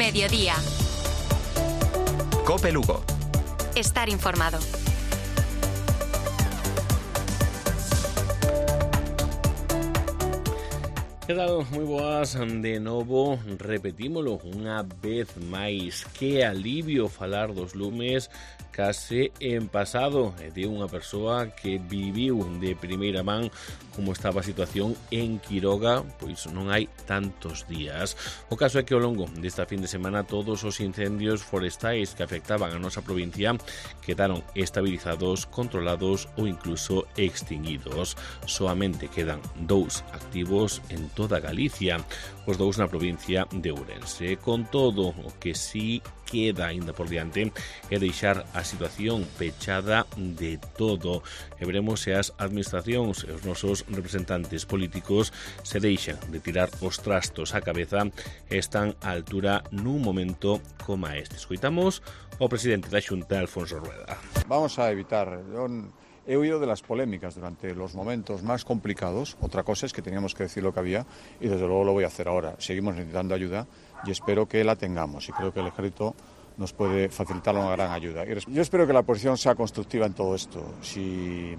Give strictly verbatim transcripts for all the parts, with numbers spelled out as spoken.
Mediodía. COPE Lugo. Estar informado. Que tal? Moi boas de novo, repetímolo unha vez máis. Que alivio falar dos lumes case en pasado e de unha persoa que viviu de primeira man como estaba a situación en Quiroga, pois non hai tantos días. O caso é que ao longo desta fin de semana todos os incendios forestais que afectaban a nosa provincia quedaron estabilizados, controlados ou incluso extinguidos. Soamente quedan dous activos en toda Galicia, os dous na provincia de Ourense. Con todo, o que sí queda ainda por diante é deixar a situación pechada de todo. E veremos se as administracións e os nosos representantes políticos se deixan de tirar os trastos á cabeza e están á altura nun momento como este. Escoitamos o presidente da Xunta, Alfonso Rueda. Vamos a evitar... He oído de las polémicas durante los momentos más complicados. Otra cosa es que teníamos que decir lo que había y desde luego lo voy a hacer ahora. Seguimos necesitando ayuda y espero que la tengamos y creo que el ejército nos puede facilitar una gran ayuda. Yo espero que la posición sea constructiva en todo esto. Si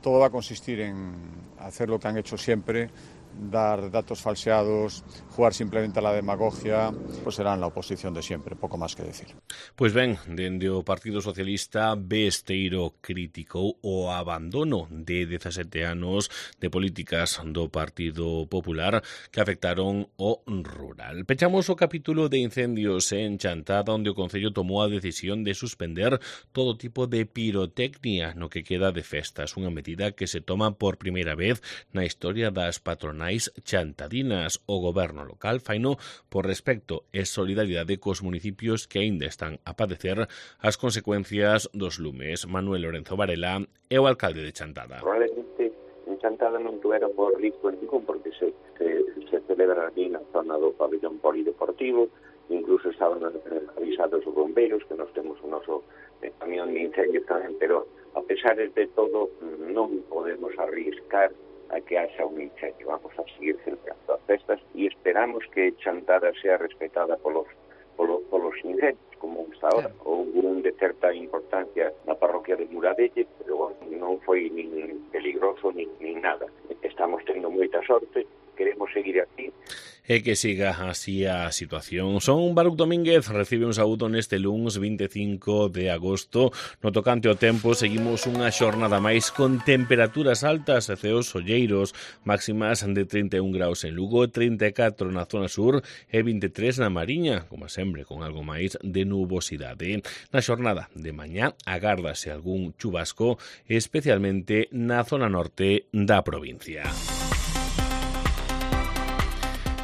todo va a consistir en hacer lo que han hecho siempre, dar datos falseados, jugar simplemente a la demagogia, pues serán la oposición de siempre, poco más que decir. Pois ben, dende o Partido Socialista, Besteiro criticou o abandono de dezasete anos de políticas do Partido Popular que afectaron o rural. Pechamos o capítulo de incendios en Chantada, onde o Concello tomou a decisión de suspender todo tipo de pirotecnia no que queda de festas, unha medida que se toma por primeira vez na historia das patronais chantadinas. O goberno local faino por respecto e solidaridade cos municipios que aínda están a padecer as consecuencias dos lumes. Manuel Lorenzo Varela é o alcalde de Chantada. Probablemente en Chantada non tuvera por risco ningún porque se, se, se celebra aquí na zona do pabellón polideportivo, incluso estaban avisados os bombeiros que nos temos o noso eh, camión de incendios tamén, pero a pesar de todo non podemos arriscar a que haxa un incendio. Vamos a seguir celebrando as festas e esperamos que Chantada sea respetada polos, polos, polos incendios, como está ahora. Houve un de certa importancia na parroquia de Muradelle, pero bueno, non foi nin peligroso nin, nin nada. Estamos tendo moita sorte, queremos seguir aquí. E que siga así a situación. Son Baruch Domínguez, recibe un saúdo neste luns vinte e cinco de agosto. No tocante ao tempo, seguimos unha xornada máis con temperaturas altas e ceos olleiros, máximas de trinta e un graus en Lugo, trinta e catro na zona sur e vinte e tres na Mariña, como sempre, con algo máis de nubosidade. Na xornada de mañá agárdase algún chubasco, especialmente na zona norte da provincia.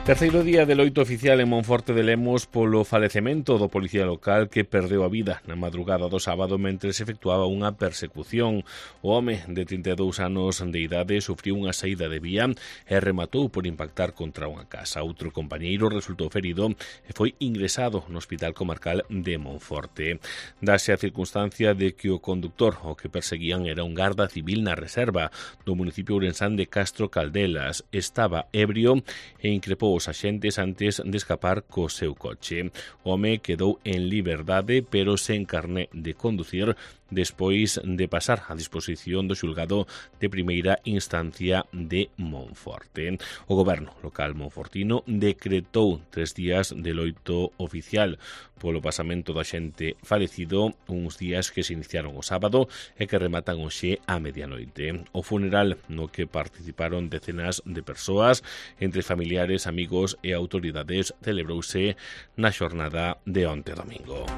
Terceiro día de loito oficial en Monforte de Lemos polo falecemento do policía local que perdeu a vida na madrugada do sábado mentre se efectuaba unha persecución. O home de trinta e dous anos de idade sufriu unha saída de vía e rematou por impactar contra unha casa. Outro compañeiro resultou ferido e foi ingresado no Hospital Comarcal de Monforte. Dase a circunstancia de que o conductor o que perseguían era un garda civil na reserva do municipio ourensán de Castro Caldelas. Estaba ebrio e increpou os axentes antes de escapar co seu coche. O home quedou en liberdade, pero sen carné de conducir, despois de pasar a disposición do xulgado de primeira instancia de Monforte. O goberno local monfortino decretou tres días de loito oficial polo pasamento do axente falecido, uns días que se iniciaron o sábado e que rematan hoxe a medianoite. O funeral no que participaron decenas de persoas, entre familiares, amigos e autoridades, celebrouse na xornada de onte domingo.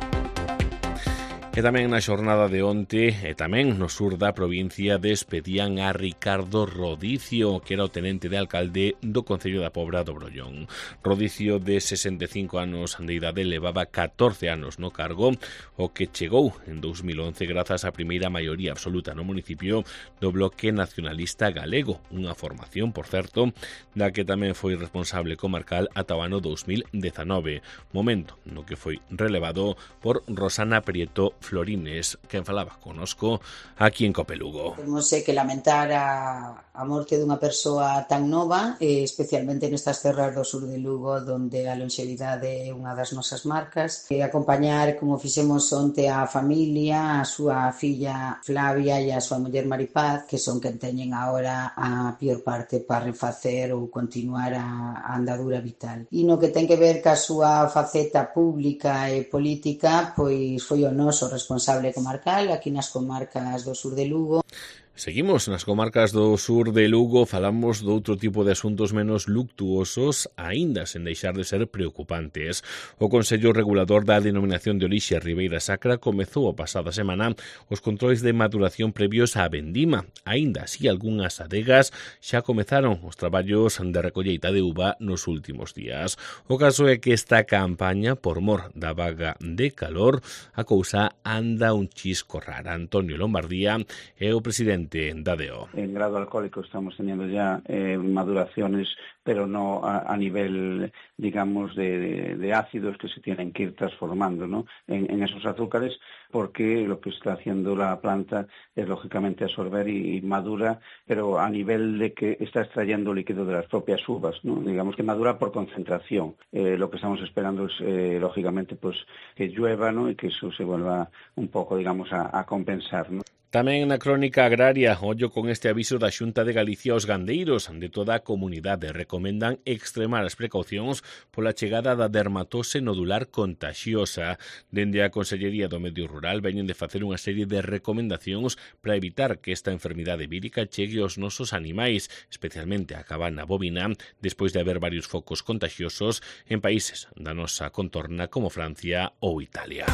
E tamén na xornada de onte, e tamén no sur da provincia, despedían a Ricardo Rodicio, que era o tenente de alcalde do Concello da Pobra do Brollón. Rodicio, de sesenta e cinco anos de idade, levaba catorce anos no cargo, o que chegou en dous mil once grazas á primeira maioría absoluta no municipio do Bloque Nacionalista Galego, unha formación, por certo, da que tamén foi responsable comarcal ata o ano dous mil dezanove, momento no que foi relevado por Rosana Prieto Florines, quen falaba conosco aquí en Copelugo. Temos que lamentar a, a morte dunha persoa tan nova, eh, especialmente nestas terras do sur de Lugo, donde a longevidade é unha das nosas marcas. E acompañar, como fixemos onte, a familia, a súa filla Flavia e a súa muller Maripaz, que son quen teñen agora a pior parte para refacer ou continuar a, a andadura vital. E no que ten que ver ca súa faceta pública e política, pois foi o noso responsable comarcal aquí nas comarcas do sur de Lugo. Seguimos nas comarcas do sur de Lugo, falamos doutro tipo de asuntos menos luctuosos, aínda sen deixar de ser preocupantes. O Consello Regulador da Denominación de Orixe Ribeira Sacra comezou a pasada semana os controis de maduración previos á vendima. Aínda así, algunhas adegas xa comezaron os traballos de recolleita de uva nos últimos días. O caso é que esta campaña, por mor da vaga de calor, a cousa anda un chisco rara. Antonio Lombardía é o presidente da D O. En grado alcohólico estamos teniendo ya eh, maduraciones, pero no a, a nivel, digamos, de, de, de ácidos que se tienen que ir transformando, ¿no? en, en esos azúcares, porque lo que está haciendo la planta es lógicamente absorber y, y madura, pero a nivel de que está extrayendo líquido de las propias uvas, ¿no? Digamos que madura por concentración. Eh, lo que estamos esperando es, eh, lógicamente, pues que llueva, ¿no? Y que eso se vuelva un poco, digamos, a, a compensar, ¿no? Tamén na crónica agraria, ollo con este aviso da Xunta de Galicia aos gandeiros de toda a comunidade. Recomendan extremar as precaucións pola chegada da dermatose nodular contaxiosa. Dende a Consellería do Medio Rural veñen de facer unha serie de recomendacións para evitar que esta enfermidade vírica chegue aos nosos animais, especialmente a cabana bovina, despois de haber varios focos contagiosos en países da nosa contorna como Francia ou Italia.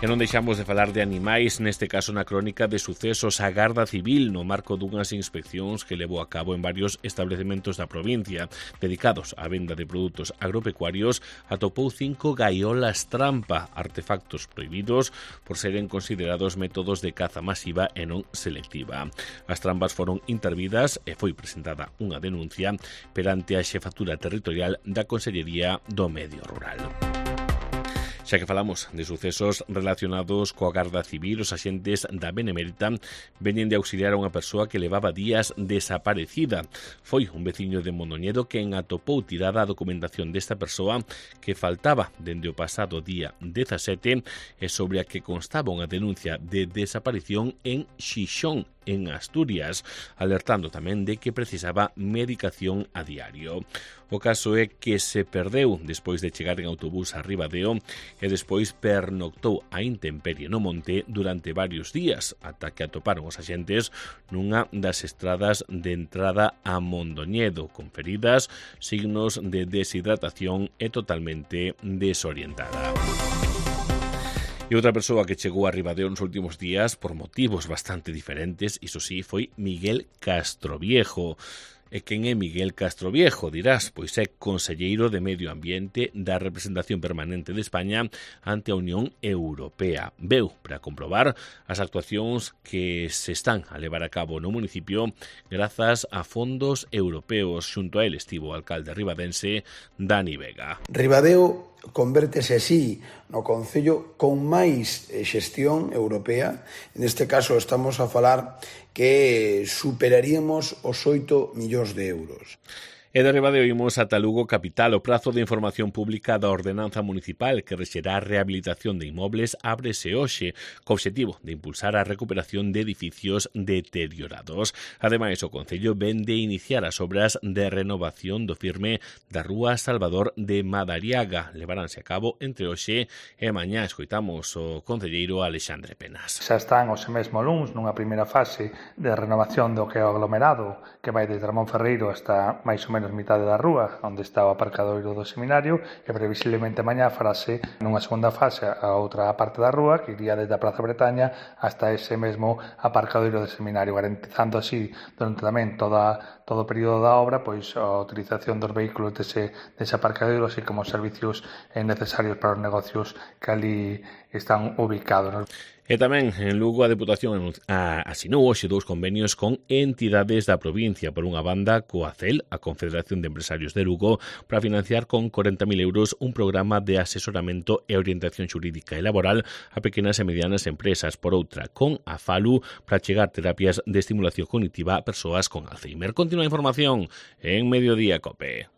E non deixamos de falar de animais, neste caso na crónica de sucesos. A Garda Civil, no marco dunhas inspeccións que levou a cabo en varios establecementos da provincia dedicados á venda de produtos agropecuarios, atopou cinco gaiolas trampa, artefactos prohibidos por seren considerados métodos de caza masiva e non selectiva. As trampas foron intervidas e foi presentada unha denuncia perante a Xefatura Territorial da Consellería do Medio Rural. Xa que falamos de sucesos relacionados coa Garda Civil, os axentes da Benemérita veñen de auxiliar a unha persoa que levaba días desaparecida. Foi un veciño de Mondoñedo quen atopou tirada a documentación desta persoa que faltaba dende o pasado día dezasete e sobre a que constaba unha denuncia de desaparición en Xixón, en Asturias, alertando tamén de que precisaba medicación a diario. O caso é que se perdeu despois de chegar en autobús a Ribadeo e despois pernoctou a intemperie no monte durante varios días, ata que atoparon os axentes nunha das estradas de entrada a Mondoñedo, con feridas, signos de deshidratación e totalmente desorientada. E outra persoa que chegou a Ribadeo nos últimos días por motivos bastante diferentes, iso sí, foi Miguel Castroviejo. E quen é Miguel Castroviejo, dirás? Pois é conselleiro de Medio Ambiente da Representación Permanente de España ante a Unión Europea. Veu para comprobar as actuacións que se están a levar a cabo no municipio grazas a fondos europeos. Xunto a él estivo o alcalde ribadense Dani Vega. Ribadeo convértese así no concello con máis xestión europea. Neste caso estamos a falar que superaríamos os oito millóns de euros. E de Ribadeo imos ata Lugo capital. O prazo de información pública da ordenanza municipal que rexerá a rehabilitación de inmobles ábrese hoxe, co obxectivo de impulsar a recuperación de edificios deteriorados. Ademais, o Concello ven de iniciar as obras de renovación do firme da Rúa Salvador de Madariaga. Levaránse a cabo entre hoxe e mañá. Escoitamos o concelleiro Alexandre Penas. Xa están hoxe mesmo luns nunha primeira fase de renovación do que é o aglomerado, que vai desde Ramón Ferreiro hasta máis ou menos mitade da rúa, onde está o aparcadoiro do seminario, e previsiblemente mañá farase nunha segunda fase a outra parte da rúa, que iría desde a Praza Bretaña hasta ese mesmo aparcadoiro do seminario, garantizando así durante tamén toda, todo o período da obra pois a utilización dos vehículos dese, dese aparcadoiro, así como os servicios necesarios para os negocios que ali están ubicados. E tamén en Lugo a Deputación asinou hoxe dous convenios con entidades da provincia. Por unha banda, Coacel, a Confederación de Empresarios de Lugo, para financiar con corenta mil euros un programa de asesoramento e orientación xurídica e laboral a pequenas e medianas empresas. Por outra, con a Falu, para chegar terapias de estimulación cognitiva a persoas con Alzheimer. Continúa a información en Mediodía Cope.